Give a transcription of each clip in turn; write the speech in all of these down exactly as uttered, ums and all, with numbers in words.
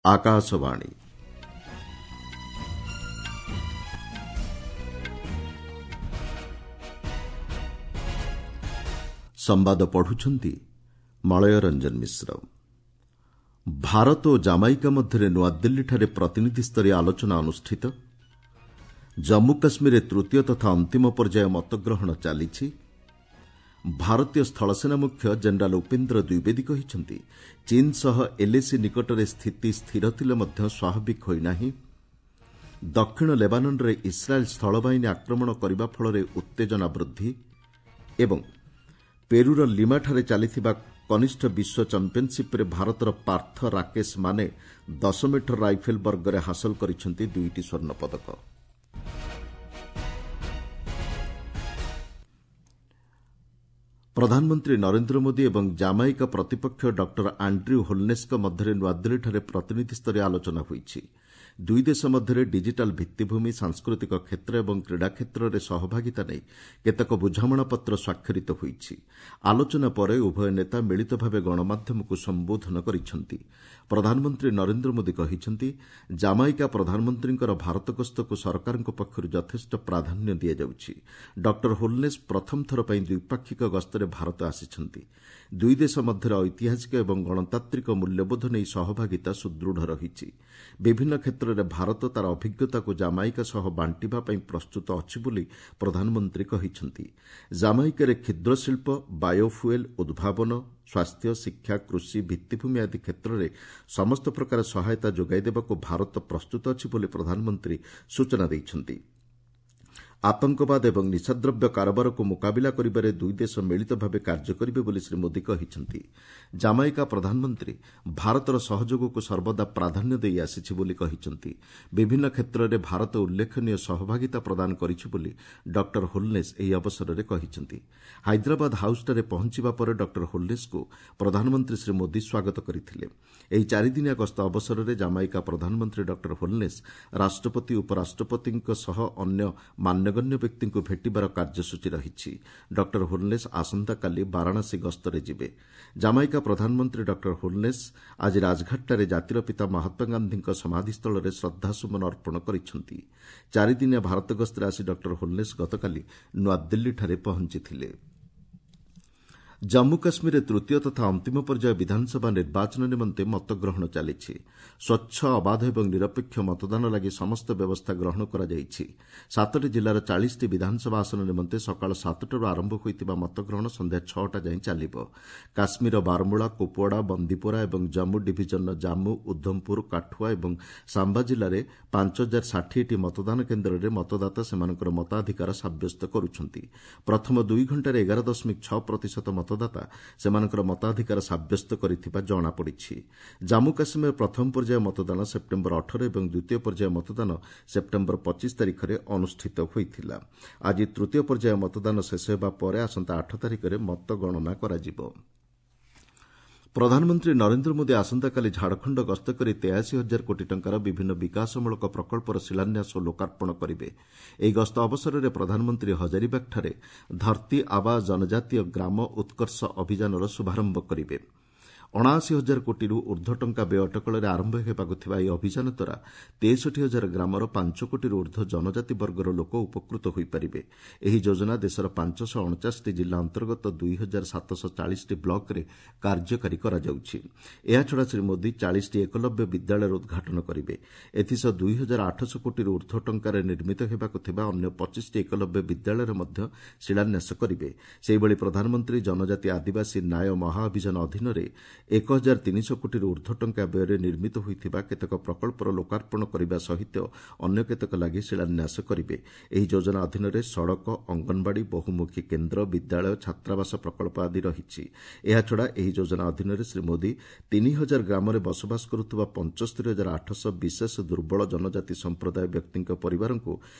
ଆକାଶବାଣୀ ସମ୍ବାଦ ପଢୁଛନ୍ତି ମଳୟ ରଞ୍ଜନ ମିଶ୍ର। ଭାରତ ଓ ଜାମାଇକା ମଧ୍ୟରେ ନୂଆଦିଲ୍ଲୀଠାରେ ପ୍ରତିନିଧିସ୍ତରୀୟ ଆଲୋଚନା ଅନୁଷ୍ଠିତ। ଜମ୍ମୁ କାଶ୍ମୀରରେ ତୃତୀୟ ତଥା ଅନ୍ତିମ ପର୍ଯ୍ୟାୟ ମତଗ୍ରହଣ ଚାଲିଛି। ଭାରତୀୟ ସ୍ଥଳସେନା ମୁଖ୍ୟ ଜେନେରାଲ୍ ଉପେନ୍ଦ୍ର ଦ୍ୱିବେଦୀ କହିଛନ୍ତି, ଚୀନ୍ ସହ ଏଲ୍ଏସି ନିକଟରେ ସ୍ଥିତି ସ୍ଥିର ଥିଲେ ମଧ୍ୟ ସ୍ୱାଭାବିକ ହୋଇନାହିଁ। ଦକ୍ଷିଣ ଲେବାନନ୍ରେ ଇସ୍ରାଏଲ୍ ସ୍ଥଳବାହିନୀ ଆକ୍ରମଣ କରିବା ଫଳରେ ଉତ୍ତେଜନା ବୃଦ୍ଧି ଏବଂ ପେରୁର ଲିମାଠାରେ ଚାଲିଥିବା କନିଷ୍ଠ ବିଶ୍ୱ ଚାମ୍ପିୟନ୍ସିପ୍ରେ ଭାରତର ପାର୍ଥ ରାକେଶ ମାନେ ଦଶ ମିଟର ରାଇଫଲ୍ ବର୍ଗରେ ହାସଲ କରିଛନ୍ତି ଦୁଇଟି ସ୍ୱର୍ଣ୍ଣପଦକ। ପ୍ରଧାନମନ୍ତ୍ରୀ ନରେନ୍ଦ୍ର ମୋଦି ଏବଂ ଜାମାଇକା ପ୍ରତିପକ୍ଷ ଡକ୍ଟର ଆଣ୍ଡ୍ର୍ୟୁ ହୋଲ୍ନେସ୍ଙ୍କ ମଧ୍ୟରେ ନୂଆଦିଲ୍ଲୀଠାରେ ପ୍ରତିନିଧିସ୍ତରୀୟ ଆଲୋଚନା ହୋଇଛି। ଦୁଇ ଦେଶ ମଧ୍ୟରେ ଡିଜିଟାଲ୍ ଭିତ୍ତିଭୂମି, ସାଂସ୍କୃତିକ କ୍ଷେତ୍ର ଏବଂ କ୍ରୀଡ଼ା କ୍ଷେତ୍ରରେ ସହଭାଗିତା ନେଇ କେତେକ ବୁଝାମଣାପତ୍ର ସ୍ୱାକ୍ଷରିତ ହୋଇଛି। ଆଲୋଚନା ପରେ ଉଭୟ ନେତା ମିଳିତ ଭାବେ ଗଣମାଧ୍ୟମକୁ ସମ୍ବୋଧନ କରିଛନ୍ତି। ପ୍ରଧାନମନ୍ତ୍ରୀ ନରେନ୍ଦ୍ର ମୋଦି କହିଛନ୍ତି, ଜାମାଇକା ପ୍ରଧାନମନ୍ତ୍ରୀଙ୍କର ଭାରତ ଗସ୍ତକୁ ସରକାରଙ୍କ ପକ୍ଷରୁ ଯଥେଷ୍ଟ ପ୍ରାଧାନ୍ୟ ଦିଆଯାଉଛି। ଡକ୍ଟର ହୋଲ୍ନେସ୍ ପ୍ରଥମ ଥର ପାଇଁ ଦ୍ୱିପାକ୍ଷିକ ଗସ୍ତରେ ଭାରତ ଆସିଛନ୍ତି। ଦୁଇ ଦେଶ ମଧ୍ୟରେ ଐତିହାସିକ ଏବଂ ଗଣତାନ୍ତ୍ରିକ ମୂଲ୍ୟବୋଧ ନେଇ ସହଭାଗିତା ସୁଦୃଢ଼ ରହିଛି। ବିଭିନ୍ନ କ୍ଷେତ୍ରରେ ଭାରତ ତା'ର ଅଭିଜ୍ଞତାକୁ ଜାମାଇକା ସହ ବାଣ୍ଟିବା ପାଇଁ ପ୍ରସ୍ତୁତ ଅଛି ବୋଲି ପ୍ରଧାନମନ୍ତ୍ରୀ କହିଛନ୍ତି। ଜାମାଇକାରେ କ୍ଷୁଦ୍ରଶିଳ୍ପ, ବାୟୋଫୁଏଲ୍, ଉଦ୍ଭାବନ, ସ୍ୱାସ୍ଥ୍ୟ, ଶିକ୍ଷା, କୃଷି, ଭିତ୍ତିଭୂମି ଆଦି କ୍ଷେତ୍ରରେ ସମସ୍ତ ପ୍ରକାର ସହାୟତା ଯୋଗାଇ ଦେବାକୁ ଭାରତ ପ୍ରସ୍ତୁତ ଅଛି ବୋଲି ପ୍ରଧାନମନ୍ତ୍ରୀ ସୂଚନା ଦେଇଛନ୍ତି। ଆତଙ୍କବାଦ ଏବଂ ନିଶାଦ୍ରବ୍ୟ କାରବାରକୁ ମୁକାବିଲା କରିବାରେ ଦୁଇ ଦେଶ ମିଳିତ ଭାବେ କାର୍ଯ୍ୟ କରିବେ ବୋଲି ଶ୍ରୀ ମୋଦି କହିଛନ୍ତି। ଜାମାଇକା ପ୍ରଧାନମନ୍ତ୍ରୀ ଭାରତର ସହଯୋଗକୁ ସର୍ବଦା ପ୍ରାଧାନ୍ୟ ଦେଇ ଆସିଛି ବୋଲି କହିଛନ୍ତି। ବିଭିନ୍ନ କ୍ଷେତ୍ରରେ ଭାରତ ଉଲ୍ଲେଖନୀୟ ସହଭାଗିତା ପ୍ରଦାନ କରିଛି ବୋଲି ଡକ୍ଟର ହୋଲ୍ନେସ୍ ଏହି ଅବସରରେ କହିଛନ୍ତି। ହାଇଦ୍ରାବାଦ ହାଉସ୍ଠାରେ ପହଞ୍ଚିବା ପରେ ଡକ୍ଟର ହୋଲ୍ନେସ୍ଙ୍କୁ ପ୍ରଧାନମନ୍ତ୍ରୀ ଶ୍ରୀ ମୋଦି ସ୍ୱାଗତ କରିଥିଲେ। ଏହି ଚାରିଦିନିଆ ଗସ୍ତ ଅବସରରେ ଜାମାଇକା ପ୍ରଧାନମନ୍ତ୍ରୀ ଡକ୍ଟର ହୋଲ୍ନେସ୍ ରାଷ୍ଟ୍ରପତି, ଉପରାଷ୍ଟ୍ରପତିଙ୍କ ସହ ଅନ୍ୟ ମାନ୍ୟଗଣ୍ୟ ବ୍ୟକ୍ତିଙ୍କୁ ଭେଟିବାର କାର୍ଯ୍ୟସୂଚୀ ରହିଛି। ଡକ୍ଟର ହୋଲ୍ନେସ୍ ଆସନ୍ତାକାଲି ବାରାଣସୀ ଗସ୍ତରେ ଯିବେ। ଜାମାଇକା ପ୍ରଧାନମନ୍ତ୍ରୀ ଡକ୍ଟର ହୋଲ୍ନେସ୍ ଆଜି ରାଜଘାଟଠାରେ ଜାତିର ପିତା ମହାତ୍ମାଗାନ୍ଧୀଙ୍କ ସମାଧିସ୍ଥଳରେ ଶ୍ରଦ୍ଧାସୁମନ ଅର୍ପଣ କରିଛନ୍ତି। ଚାରିଦିନିଆ ଭାରତ ଗସ୍ତରେ ଆସି ଡକ୍ଟର ହୋଲ୍ନେସ୍ ଗତକାଲି ନୂଆଦିଲ୍ଲୀଠାରେ ପହଞ୍ଚିଥିଲେ। ଜମ୍ମୁ କାଶ୍ମୀରରେ ତୃତୀୟ ତଥା ଅନ୍ତିମ ପର୍ଯ୍ୟାୟ ବିଧାନସଭା ନିର୍ବାଚନ ନିମନ୍ତେ ମତଗ୍ରହଣ ଚାଲିଛି। ସ୍ୱଚ୍ଛ, ଅବାଧ ଏବଂ ନିରପେକ୍ଷ ମତଦାନ ଲାଗି ସମସ୍ତ ବ୍ୟବସ୍ଥା ଗ୍ରହଣ କରାଯାଇଛି। ସାତଟି ଜିଲ୍ଲାର ଚାଳିଶଟି ବିଧାନସଭା ଆସନ ନିମନ୍ତେ ସକାଳ ସାତଟାରୁ ଆରମ୍ଭ ହୋଇଥିବା ମତଗ୍ରହଣ ସନ୍ଧ୍ୟା ଛଅଟା ଯାଏଁ ଚାଲିବ। କାଶ୍ମୀରର ବାରମୂଳା, କୁପୱାଡ଼ା, ବନ୍ଦିପୋରା ଏବଂ ଜମ୍ମୁ ଡିଭିଜନର ଜାମ୍ମୁ, ଉଦ୍ଧମପୁର, କାଠୁଆ ଏବଂ ସାମ୍ବା ଜିଲ୍ଲାରେ ପାଞ୍ଚ ହଜାର ଷାଠିଏଟି ମତଦାନ କେନ୍ଦ୍ରରେ ମତଦାତା ସେମାନଙ୍କର ମତାଧିକାର ସାବ୍ୟସ୍ତ କରୁଛନ୍ତି। ପ୍ରଥମ ଦୁଇ ଘଣ୍ଟାରେ ଏଗାର ଦଶମିକ ଛଅ ପ୍ରତିଶତ ମତଦାତା ସେମାନଙ୍କର ମତାଧିକାର ସାବ୍ୟସ୍ତ କରିଥିବା ଜଣାପଡ଼ିଛି। ଜାମ୍ମୁ କାଶ୍ମୀରରେ ପ୍ରଥମ ପର୍ଯ୍ୟାୟ ମତଦାନ ସେପ୍ଟେମ୍ବର ଅଠର ଏବଂ ଦ୍ୱିତୀୟ ପର୍ଯ୍ୟାୟ ମତଦାନ ସେପ୍ଟେମ୍ବର ପଚିଶ ତାରିଖରେ ଅନୁଷ୍ଠିତ ହୋଇଥିଲା। ଆଜି ତୃତୀୟ ପର୍ଯ୍ୟାୟ ମତଦାନ ଶେଷ ହେବା ପରେ ଆସନ୍ତା ଆଠ ତାରିଖରେ ମତଗଣନା କରାଯିବ। ପ୍ରଧାନମନ୍ତ୍ରୀ ନରେନ୍ଦ୍ର ମୋଦି ଆସନ୍ତାକାଲି ଝାଡ଼ଖଣ୍ଡ ଗସ୍ତ କରି ତେୟାଅଶୀ ହଜାର କୋଟି ଟଙ୍କାର ବିଭିନ୍ନ ବିକାଶମୂଳକ ପ୍ରକଳ୍ପର ଶିଳାନ୍ୟାସ ଓ ଲୋକାର୍ପଣ କରିବେ। ଏହି ଗସ୍ତ ଅବସରରେ ପ୍ରଧାନମନ୍ତ୍ରୀ ହଜାରିବାଗଠାରେ ଧର୍ତୀ ଆବା ଜନଜାତୀୟ ଗ୍ରାମ ଉତ୍କର୍ଷ ଅଭିଯାନର ଶୁଭାରମ୍ଭ କରିବେ। ଅଣାଅଶୀ ହଜାର କୋଟିରୁ ଉର୍ଦ୍ଧ୍ୱ ଟଙ୍କା ବ୍ୟୟ ଅଟକଳରେ ଆରମ୍ଭ ହେବାକୁ ଥିବା ଏହି ଅଭିଯାନ ଦ୍ୱାରା ତେଷଠି ହଜାର ଗ୍ରାମର ପାଞ୍ଚ କୋଟିରୁ ଉର୍ଦ୍ଧ୍ୱ ଜନଜାତି ବର୍ଗର ଲୋକ ଉପକୃତ ହୋଇପାରିବେ। ଏହି ଯୋଜନା ଦେଶର ପାଞ୍ଚଶହ ଅଣଚାଶଟି ଜିଲ୍ଲା ଅନ୍ତର୍ଗତ ଦୁଇ ହଜାର ସାତଶହ ଚାଳିଶଟି ବ୍ଲକରେ କାର୍ଯ୍ୟକାରୀ କରାଯାଉଛି। ଏହାଛଡ଼ା ଶ୍ରୀ ମୋଦି ଚାଳିଶଟି ଏକଲବ୍ୟ ବିଦ୍ୟାଳୟର ଉଦ୍ଘାଟନ କରିବେ। ଏଥିସହ ଦୁଇ ହଜାର ଆଠଶହ କୋଟିରୁ ଉର୍ଦ୍ଧ୍ୱ ଟଙ୍କାରେ ନିର୍ମିତ ହେବାକୁ ଥିବା ଅନ୍ୟ ପଚିଶଟି ଏକଲବ୍ୟ ବିଦ୍ୟାଳୟର ମଧ୍ୟ ଶିଳାନ୍ୟାସ କରିବେ। ସେହିଭଳି ପ୍ରଧାନମନ୍ତ୍ରୀ ଜନଜାତି ଆଦିବାସୀ ନ୍ୟାୟ ମହାଅଭିଯାନ ଅଧୀନରେ ଏକ ହଜାର ତିନିଶହ କୋଟିରୁ ଉର୍ଦ୍ଧ୍ୱ ଟଙ୍କା ବ୍ୟୟରେ ନିର୍ମିତ ହୋଇଥିବା କେତେକ ପ୍ରକଳ୍ପର ଲୋକାର୍ପଣ କରିବା ସହିତ ଅନ୍ୟ କେତେକ ଲାଗି ଶିଳାନ୍ୟାସ କରିବେ। ଏହି ଯୋଜନା ଅଧୀନରେ ସଡ଼କ, ଅଙ୍ଗନବାଡ଼ି, ବହୁମୁଖୀ କେନ୍ଦ୍ର, ବିଦ୍ୟାଳୟ, ଛାତ୍ରାବାସ ପ୍ରକଳ୍ପ ଆଦି ରହିଛି। ଏହାଛଡ଼ା ଏହି ଯୋଜନା ଅଧୀନରେ ଶ୍ରୀ ମୋଦି ତିନି ହଜାର ଗ୍ରାମରେ ବସବାସ କରୁଥିବା ପଞ୍ଚସ୍ତରୀ ହଜାର ଆଠଶହ ବିଶେଷ ଦୁର୍ବଳ ଜନଜାତି ସମ୍ପ୍ରଦାୟ ବ୍ୟକ୍ତିଙ୍କ ପରିବାରଙ୍କୁ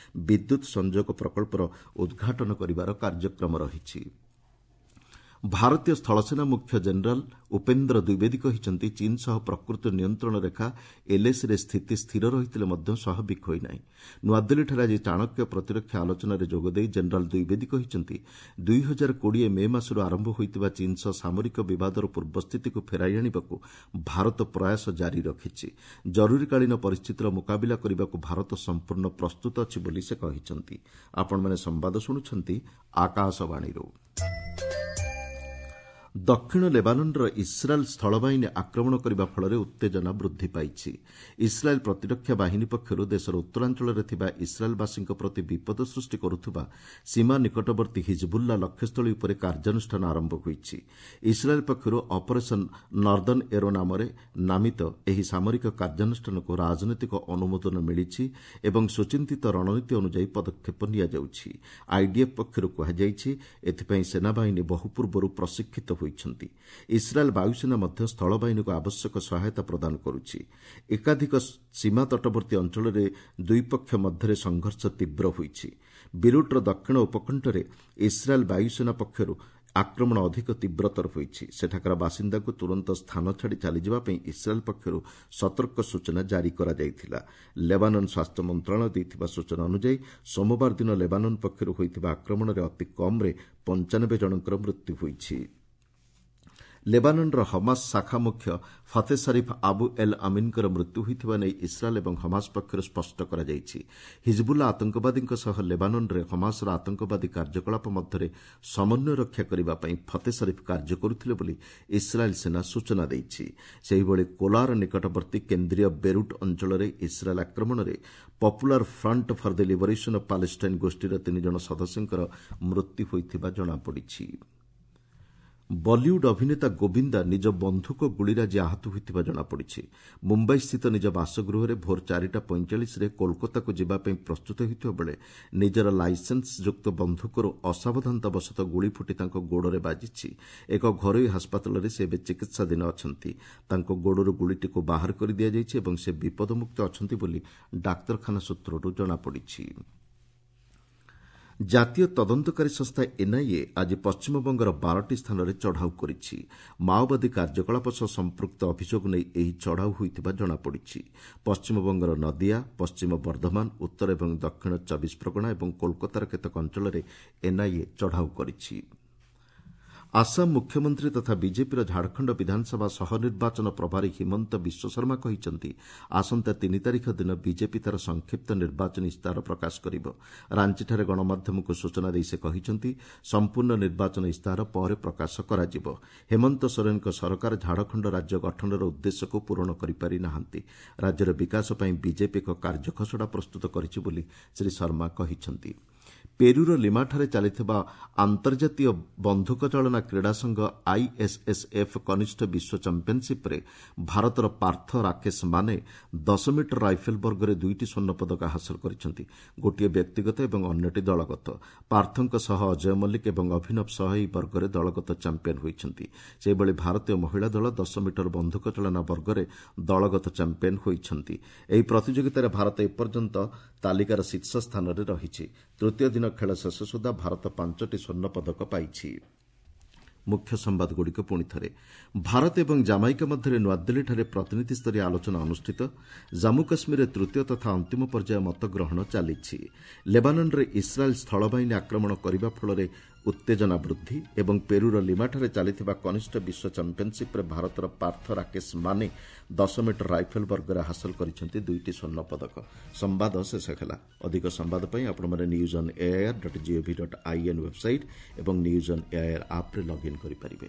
ବିଦ୍ୟୁତ୍ ସଂଯୋଗ ପ୍ରକଳ୍ପର ଉଦ୍ଘାଟନ କରିବାର କାର୍ଯ୍ୟକ୍ରମ ରହିଛି। ଭାରତୀୟ ସ୍ଥଳସେନା ମୁଖ୍ୟ ଜେନେରାଲ ଉପେନ୍ଦ୍ର ଦ୍ୱିବେଦୀ କହିଛନ୍ତି, ଚୀନ୍ ସହ ପ୍ରକୃତ ନିୟନ୍ତ୍ରଣ ରେଖା ଏଲ୍ଏସିରେ ସ୍ଥିତି ସ୍ଥିର ରହିଥିଲେ ମଧ୍ୟ ସ୍ୱାଭାବିକ ହୋଇନାହିଁ। ନୂଆଦିଲ୍ଲୀଠାରେ ଆଜି ଚାଣକ୍ୟ ପ୍ରତିରକ୍ଷା ଆଲୋଚନାରେ ଯୋଗଦେଇ ଜେନେରାଲ ଦ୍ୱିବେଦୀ କହିଛନ୍ତି, ଦୁଇ ହଜାର କୋଡ଼ିଏ ମେ ମାସରୁ ଆରମ୍ଭ ହୋଇଥିବା ଚୀନ୍ ସହ ସାମରିକ ବିବାଦର ପୂର୍ବସ୍ଥିତିକୁ ଫେରାଇ ଆଣିବାକୁ ଭାରତ ପ୍ରୟାସ ଜାରି ରଖିଛି। ଜରୁରୀକାଳୀନ ପରିସ୍ଥିତିର ମୁକାବିଲା କରିବାକୁ ଭାରତ ସମ୍ପୂର୍ଣ୍ଣ ପ୍ରସ୍ତୁତ ଅଛି ବୋଲି ସେ କହିଛନ୍ତି। ଆପଣମାନେ ସମ୍ବାଦ ଶୁଣୁଛନ୍ତି ଆକାଶବାଣୀରୁ। ଦକ୍ଷିଣ ଲେବାନନ୍ର ଇସ୍ରାଏଲ୍ ସ୍ଥଳବାହିନୀ ଆକ୍ରମଣ କରିବା ଫଳରେ ଉତ୍ତେଜନା ବୃଦ୍ଧି ପାଇଛି। ଇସ୍ରାଏଲ୍ ପ୍ରତିରକ୍ଷା ବାହିନୀ ପକ୍ଷରୁ ଦେଶର ଉତ୍ତରାଞ୍ଚଳରେ ଥିବା ଇସ୍ରାଏଲ୍ବାସୀଙ୍କ ପ୍ରତି ବିପଦ ସୃଷ୍ଟି କରୁଥିବା ସୀମା ନିକଟବର୍ତ୍ତୀ ହିଜବୁଲ୍ଲା ଲକ୍ଷ୍ୟସ୍ଥଳୀ ଉପରେ କାର୍ଯ୍ୟାନୁଷ୍ଠାନ ଆରମ୍ଭ ହୋଇଛି। ଇସ୍ରାଏଲ୍ ପକ୍ଷରୁ ଅପରେସନ୍ ନର୍ଦ୍ଦନ ଏରୋ ନାମରେ ନାମିତ ଏହି ସାମରିକ କାର୍ଯ୍ୟାନୁଷ୍ଠାନକୁ ରାଜନୈତିକ ଅନୁମୋଦନ ମିଳିଛି ଏବଂ ସୁଚିନ୍ତିତ ରଣନୀତି ଅନୁଯାୟୀ ପଦକ୍ଷେପ ନିଆଯାଉଛି। ଆଇଡିଏଫ୍ ପକ୍ଷରୁ କୁହାଯାଇଛି, ଏଥିପାଇଁ ସେନାବାହିନୀ ବହୁ ପୂର୍ବରୁ ପ୍ରଶିକ୍ଷିତ ହୋଇଛନ୍ତି। ଇସ୍ରାଏଲ୍ ବାୟୁସେନା ମଧ୍ୟ ସ୍ଥଳବାହିନୀକୁ ଆବଶ୍ୟକ ସହାୟତା ପ୍ରଦାନ କରୁଛି। ଏକାଧିକ ସୀମା ତଟବର୍ତ୍ତୀ ଅଞ୍ଚଳରେ ଦୁଇ ପକ୍ଷ ମଧ୍ୟରେ ସଂଘର୍ଷ ତୀବ୍ର ହୋଇଛି। ବିରୁଟ୍ର ଦକ୍ଷିଣ ଉପକଣ୍ଠରେ ଇସ୍ରାଏଲ୍ ବାୟୁସେନା ପକ୍ଷରୁ ଆକ୍ରମଣ ଅଧିକ ତୀବ୍ରତର ହୋଇଛି। ସେଠାକାର ବାସିନ୍ଦାଙ୍କୁ ତୁରନ୍ତ ସ୍ଥାନ ଛାଡ଼ି ଚାଲିଯିବା ପାଇଁ ଇସ୍ରାଏଲ୍ ପକ୍ଷରୁ ସତର୍କ ସୂଚନା ଜାରି କରାଯାଇଥିଲା। ଲେବାନନ୍ ସ୍ୱାସ୍ଥ୍ୟ ମନ୍ତ୍ରଣାଳୟ ଦେଇଥିବା ସୂଚନା ଅନୁଯାୟୀ ସୋମବାର ଦିନ ଲେବାନନ୍ ପକ୍ଷରୁ ହୋଇଥିବା ଆକ୍ରମଣରେ ଅତି କମ୍ରେ ପଞ୍ଚାନବେ ଜଣଙ୍କର ମୃତ୍ୟୁ ହୋଇଛି। ଲେବାନନ୍ର ହମାସ ଶାଖା ମୁଖ୍ୟ ଫତେ ସରିଫ୍ ଆବୁ ଏଲ୍ ଅମିନ୍ଙ୍କର ମୃତ୍ୟୁ ହୋଇଥିବା ନେଇ ଇସ୍ରାଏଲ୍ ଏବଂ ହମାସ ପକ୍ଷରୁ ସ୍ପଷ୍ଟ କରାଯାଇଛି। ହିଜବୁଲ୍ଲା ଆତଙ୍କବାଦୀଙ୍କ ସହ ଲେବାନନ୍ରେ ହମାସର ଆତଙ୍କବାଦୀ କାର୍ଯ୍ୟକଳାପ ମଧ୍ୟରେ ସମନ୍ୱୟ ରକ୍ଷା କରିବା ପାଇଁ ଫତେ ସରିଫ୍ କାର୍ଯ୍ୟ କରୁଥିଲେ ବୋଲି ଇସ୍ରାଏଲ୍ ସେନା ସୂଚନା ଦେଇଛି। ସେହିଭଳି କୋଲାର ନିକଟବର୍ତ୍ତୀ କେନ୍ଦ୍ରୀୟ ବେରୁଟ୍ ଅଞ୍ଚଳରେ ଇସ୍ରାଏଲ୍ ଆକ୍ରମଣରେ Popular Front for the Liberation of Palestine ଗୋଷ୍ଠୀର ତିନି ଜଣ ସଦସ୍ୟଙ୍କର ମୃତ୍ୟୁ ହୋଇଥିବା ଜଣାପଡ଼ିଛି। ବଲିଉଡ୍ ଅଭିନେତା ଗୋବିନ୍ଦା ନିଜ ବନ୍ଧୁକ ଗୁଳିରେ ଆଜି ଆହତ ହୋଇଥିବା ଜଣାପଡ଼ିଛି। ମୁମ୍ବାଇସ୍ଥିତ ନିଜ ବାସଗୃହରେ ଭୋର ଚାରିଟା ପଇଁଚାଳିଶରେ କୋଲକାତାକୁ ଯିବା ପାଇଁ ପ୍ରସ୍ତୁତ ହେଉଥିବା ବେଳେ ନିଜର ଲାଇସେନ୍ସଯୁକ୍ତ ବନ୍ଧୁକରୁ ଅସାବଧାନତାବଶତଃ ଗୁଳି ଫୁଟି ତାଙ୍କ ଗୋଡ଼ରେ ବାଜିଛି। ଏକ ଘରୋଇ ହାସପାତାଳରେ ସେ ଏବେ ଚିକିତ୍ସାଧୀନ ଅଛନ୍ତି। ତାଙ୍କ ଗୋଡ଼ରୁ ଗୁଳିଟିକୁ ବାହାର କରି ଦିଆଯାଇଛି ଏବଂ ସେ ବିପଦମୁକ୍ତ ଅଛନ୍ତି ବୋଲି ଡାକ୍ତରଖାନା ସୂତ୍ରରୁ ଜଣାପଡ଼ିଛି। ଜାତୀୟ ତଦନ୍ତକାରୀ ସଂସ୍ଥା ଏନ୍ଆଇଏ ଆଜି ପଶ୍ଚିମବଙ୍ଗର ବାରଟି ସ୍ଥାନରେ ଚଢ଼ାଉ କରିଛି। ମାଓବାଦୀ କାର୍ଯ୍ୟକଳାପ ସହ ସମ୍ପୃକ୍ତ ଅଭିଯୋଗ ନେଇ ଏହି ଚଢ଼ାଉ ହୋଇଥିବା ଜଣାପଡ଼ିଛି। ପଶ୍ଚିମବଙ୍ଗର ନଦିଆ, ପଶ୍ଚିମ ବର୍ଦ୍ଧମାନ, ଉତ୍ତର ଏବଂ ଦକ୍ଷିଣ ଚବିଶ ପ୍ରଗଣା ଏବଂ କୋଲକାତାର କେତେକ ଅଞ୍ଚଳରେ ଏନ୍ଆଇଏ ଚଢ଼ାଉ କରିଛି। ଆସାମ ମୁଖ୍ୟମନ୍ତ୍ରୀ ତଥା ବିଜେପିର ଝାଡ଼ଖଣ୍ଡ ବିଧାନସଭା ସହନିର୍ବାଚନ ପ୍ରଭାରୀ ହିମନ୍ତ ବିଶ୍ୱଶର୍ମା କହିଛନ୍ତି, ଆସନ୍ତା ତିନି ତାରିଖ ଦିନ ବିଜେପି ତା'ର ସଂକ୍ଷିପ୍ତ ନିର୍ବାଚନୀ ଇସ୍ତାହାର ପ୍ରକାଶ କରିବ। ରାଞ୍ଚିଠାରେ ଗଣମାଧ୍ୟମକୁ ସୂଚନା ଦେଇ ସେ କହିଛନ୍ତି, ସମ୍ପୂର୍ଣ୍ଣ ନିର୍ବାଚନ ଇସ୍ତାହାର ପରେ ପ୍ରକାଶ କରାଯିବ। ହେମନ୍ତ ସୋରେନଙ୍କ ସରକାର ଝାଡ଼ଖଣ୍ଡ ରାଜ୍ୟ ଗଠନର ଉଦ୍ଦେଶ୍ୟକୁ ପୂରଣ କରିପାରି ନାହାନ୍ତି। ରାଜ୍ୟର ବିକାଶ ପାଇଁ ବିଜେପି ଏକ କାର୍ଯ୍ୟଖସଡ଼ା ପ୍ରସ୍ତୁତ କରିଛି ବୋଲି ଶ୍ରୀ ଶର୍ମା କହିଛନ୍ତି। ପେରୁର ଲିମାଠାରେ ଚାଲିଥିବା ଆନ୍ତର୍ଜାତୀୟ ବନ୍ଧୁକ ଚାଳନା କ୍ରୀଡ଼ା ସଂଘ ଆଇଏସ୍ଏସ୍ଏଫ୍ କନିଷ୍ଠ ବିଶ୍ୱ ଚାମ୍ପିୟନସିପ୍ରେ ଭାରତର ପାର୍ଥ ରାକେଶ ମାନେ ଦଶ ମିଟର ରାଇଫେଲ୍ ବର୍ଗରେ ଦୁଇଟି ସ୍ୱର୍ଣ୍ଣ ପଦକ ହାସଲ କରିଛନ୍ତି, ଗୋଟିଏ ବ୍ୟକ୍ତିଗତ ଏବଂ ଅନ୍ୟଟି ଦଳଗତ। ପାର୍ଥଙ୍କ ସହ ଅଜୟ ମଲ୍ଲିକ ଏବଂ ଅଭିନବ ସହ ଏହି ବର୍ଗରେ ଦଳଗତ ଚାମ୍ପିୟନ ହୋଇଛନ୍ତି। ସେହିଭଳି ଭାରତୀୟ ମହିଳା ଦଳ ଦଶ ମିଟର ବନ୍ଧୁକ ଚାଳନା ବର୍ଗରେ ଦଳଗତ ଚାମ୍ପିୟନ ହୋଇଛନ୍ତି। ଏହି ପ୍ରତିଯୋଗିତାରେ ଭାରତ ଏପର୍ଯ୍ୟନ୍ତ ତାଲିକାର ଶୀର୍ଷ ସ୍ଥାନରେ ରହିଛି। ତୃତୀୟ ଦିନ ଖେଳ ଶେଷ ସୁଦ୍ଧା ଭାରତ ପାଞ୍ଚଟି ସ୍ୱର୍ଣ୍ଣ ପଦକ ପାଇଛି। ମୁଖ୍ୟ ସମ୍ବାଦଗୁଡ଼ିକ ପୁଣି ଥରେ। ଭାରତ ଏବଂ ଜାମାଇକା ମଧ୍ୟରେ ନୂଆଦିଲ୍ଲୀଠାରେ ପ୍ରତିନିଧିସ୍ତରୀୟ ଆଲୋଚନା ଅନୁଷ୍ଠିତ। ଜାମ୍ମୁ କାଶ୍ମୀରରେ ତୃତୀୟ ତଥା ଅନ୍ତିମ ପର୍ଯ୍ୟାୟ ମତଗ୍ରହଣ ଚାଲିଛି। ଲେବାନନ୍ରେ ଇସ୍ରାଏଲ୍ ସ୍ଥଳବାହିନୀ ଆକ୍ରମଣ କରିବା ଫଳରେ ଉତ୍ତେଜନା ବୃଦ୍ଧି ଏବଂ ପେରୁର ଲିମାଠାରେ ଚାଲିଥିବା କନିଷ୍ଠ ବିଶ୍ୱ ଚାମ୍ପିୟନସିପ୍ରେ ଭାରତର ପାର୍ଥ ରାକେଶ ମାନେ ଦଶ ମିଟର ରାଇଫେଲ୍ ବର୍ଗରେ ହାସଲ କରିଛନ୍ତି ଦୁଇଟି ସ୍ୱର୍ଣ୍ଣ ପଦକ। ସମ୍ବାଦ ଶେଷ ହେଲା। ଅଧିକ ସମ୍ବାଦ ପାଇଁ ଆପଣମାନେ news on AIR dot gov dot in website ଏବଂ ନ୍ୟୁଜ୍ ଅନ୍ ଏଆଇଆର୍ ଆପ୍ରେ ଲଗ୍ଇନ୍ କରିପାରିବେ।